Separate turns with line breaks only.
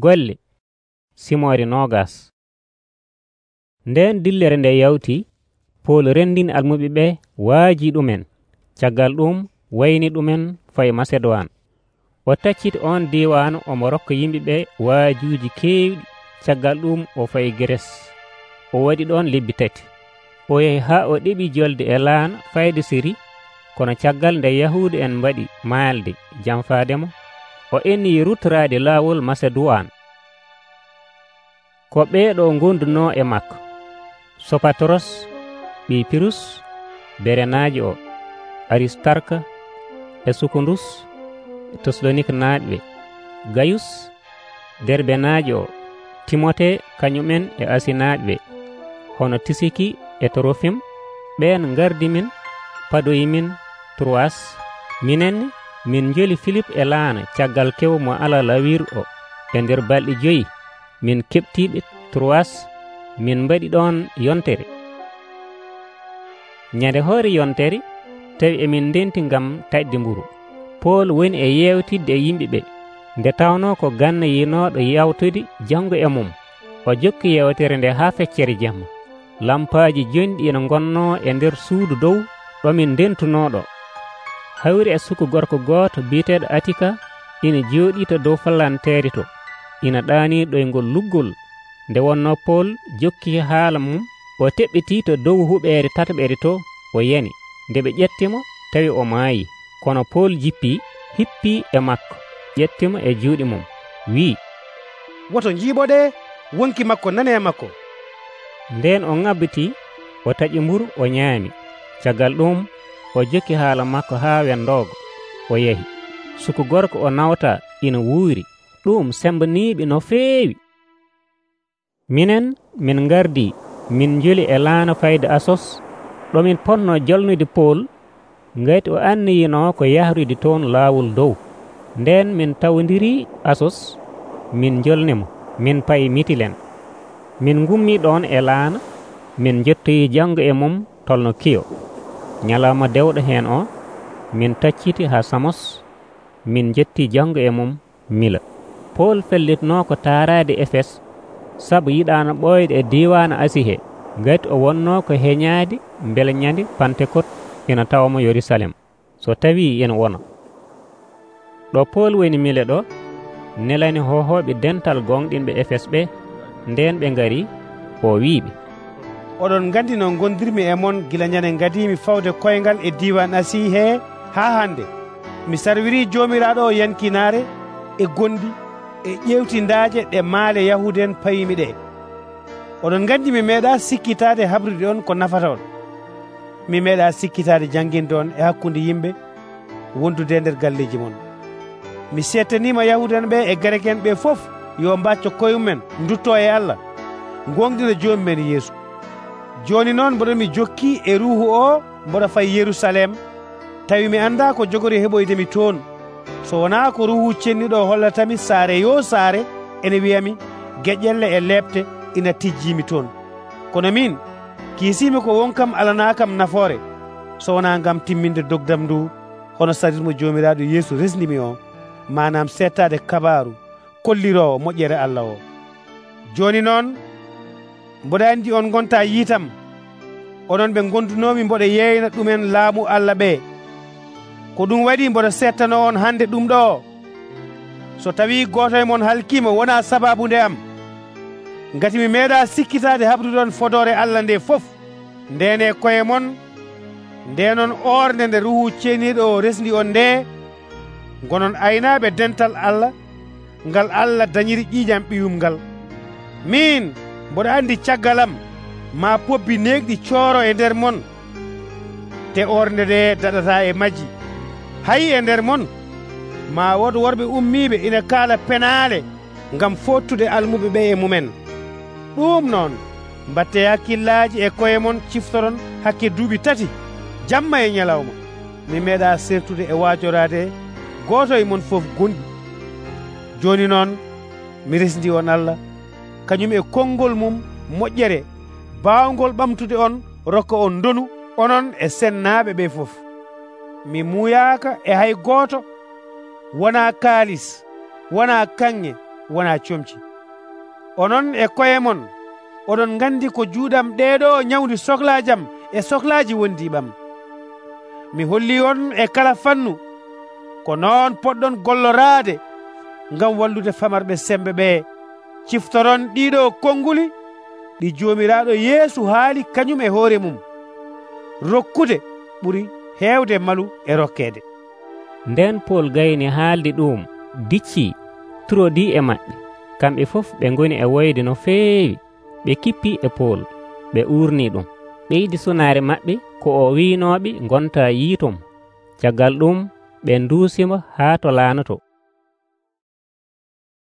Golle Simoore 20. Nden dillere nde yawti, Pool renndini almuɓe ɓe waaji ɗumen. Caggal ɗum wayni ɗumen fayi Maseduwan. O tacciti on diiwaan omo rokka yimɓe ɓe waajuuji keewɗi. Caggal ɗum o fayi Gres. O waɗi ɗon lebbi 3. O yahi haa o ɗeɓi jolde e laan fayde Siri. Kono caggal nde Yahuuda en mbaɗi maalde janfaademo, o ennii rutoraade laawol Maseduwan. Ko ɓeeɗo gondunoo e makko: Sopatros, ɓii Pirus, Berenaajo o, Aristarka e Sukundus, Tesalonika naaɓe ɓe, Gayus, Derbenaajo o, Timote kañumen e Asinaaɓe ɓe, hono Tisiki e Torofim. Ɓeen ngardi min padoyimin Troas. Minenne min njoli Filip e laana caggal kew mo ala lawiru o. E nder balɗe 5 min keɓtiiɓe Troas, min mbaɗi ɗon yontere. Nyande hoore yontere tawi emin ndenti ngam taƴde mburu. Pool woni e yewtidde e yimɓe ɓe, nde tawnoo ko ganna yinooɗo yawtude janngo e mum. O jokki yewtere nde haa feccere jemma. Lampaaji jonɗi ina ngonnoo e nder suudu dow ɗo min ndentunoo ɗo. Hawri e suku gorko gooto biyeteeɗo Atika ina jooɗii to dow fallanteere to, ina ɗaanii ɗoyngol luggol. Nde wonnoo Pool jokki haala mum, o teɓɓitii to dow huɓeere tataɓere to, o yani. Nde ɓe ƴettimo tawi o maayi. Kono Pool jippii, hippii e makko, ƴettimo e juuɗe mum, wii,
woto njiiɓoɗe wonki makko nane e makko.
Nden o ŋabbitii, o taƴi mburu, o ñaami. Caggal ɗum o jokki haala makko haa wendoogo, o yahi. Suku gorko o nawta ina wuuri, ɗum sembaniiɓe no feewi. Minen min ngardii, min njoli e laana fayde Asos, ɗo min potnoo jalnude Pool, ngati o anniyinoo ko yahrude toon laawol dow. Nden min tawondirii Asos, min njolnimo, min payi Mitilen. Min ngummii ɗon e laana, min jettoyi janngo e mum tolno Kiyo. Ñalawma dewɗo heen o, min tacciti haa Samos, min jettii janngo e mum Mila. Pool fellitnoo ko taaraade Efes, sabu yiɗaano ɓooyde e diiwaanu Asihe, ngati o wonnoo ko heñaade mbele ñande Pantekot ina tawamo Yerusalem, so tawii ina wona. Ɗo Pool woni Mile ɗo, nelani hohooɓe dental gonɗinɓe Efes ɓe. Nden ɓe ngari, o wiiɓe,
oɗon nganndi no gondirmi e mon gila ñande ngadiimi fawde koyngal e diiwan Asii hee haa hannde. Mi sarwirii Joomiraaɗo o yankinaare e gonɗi e ƴewtindaaje ɗe maale Yahuuda en payimi ɗe. Oɗon nganndi mi meeɗaa sikkitaade habrude on ko nafata on. Mi meeɗaa sikkitaade jannginde on e hakkunde yimɓe wondude nder galleeji mon. Mi settaniima Yahuuda en ɓe e Grek en ɓe fof yo mbacco koyemumen duttoo e Allah, gonɗina joomu men Yeesu. Jooni noon mboɗo mi jokkii e ruuhu o mboɗo fayi Yerusalem, tawi mi anndaa ko jogori heɓoydemi toon. So wonaa ko ruuhu cenniɗo o hollatami saare yo saare, ene wiyami geƴƴelle e leɓte ina tijjiimi toon. Kono min kiisiimi ko wonkam alanaakam nafoore, so wonaa ngam timminde dogdam ndu hono sarirmo Joomiraaɗo Yeesu resnimi o, manam settaade kabaaru kolliroowo moƴƴere Allah o. Jooni noon mboɗo anndi on gontaa yiitam, onon ɓe gondunoomi mboɗo yeeyna ɗumen laamu Allah ɓe. Ko ɗum waɗi mboɗo settanoo on hannde ɗum ɗo. So tawii gooto e mon halkiima wonaa sabaabu nde am, ngati mi meeɗaa sikkitaade habrude on fodoore Allah nde fof. Nden e koye mon, ndenon oorde nde ruuhu ceeniiɗo o resndi on nde, gonon aynaaɓe dental Allah ngal Allah dañiri ƴiiƴam ɓiyum ngal. Min mboɗo anndi caggalam ma pobbi neegɗi cooro e nder mon, te oorde nde daɗataa e majji. Hayi e nder mon ma wod worɓe ummiiɓe ina kaala penaale ngam fottude almuɓe ɓe e mumen. Ɗum noon mbatte hakkillaaji e koye mon, ciftoron hakke duuɓi 3 jamma e ñalawma. Mi meeɗaa sertude e waajoraade gooto e mon fof gonɗi. Jooni noon mi resndi on Allah, kañum e konngol mum moƴƴere baawgol ɓamtude on rokka on ndonu, onon e sennaaɓe ɓe fof. Mi muuyaaka e hay gooto, wonaa kaalis, wonaa kaŋŋe, wonaa comci. Onon e koye mon oɗon ngandi ko juuɗam ɗeeɗo nyawndi sohlaajam e sohlaaji wondiiɓam. Mi hollii on e kala fannu ko noon poɗɗon golloraade ngam wallude famarɓe sembe ɓee. Ciftoron ɗiɗo konnguli ɗi Joomiraaɗo Yeesu haali kañum e hoore mum. Rokkude ɓuri heewde malu e rokkeede.
Nden Pol gayni haaldi ɗum diccii turodii e maɓɓe. Kamɓe fof ɓe ngoni e woyde no feewi. Ɓe kippii e Pol, ɓe uurnii ɗum. Ɓeydi sunaare maɓɓe ko o wiinooɓe ngonta yiitom. Caggal ɗum ɓe nduusimo haa to laanoto.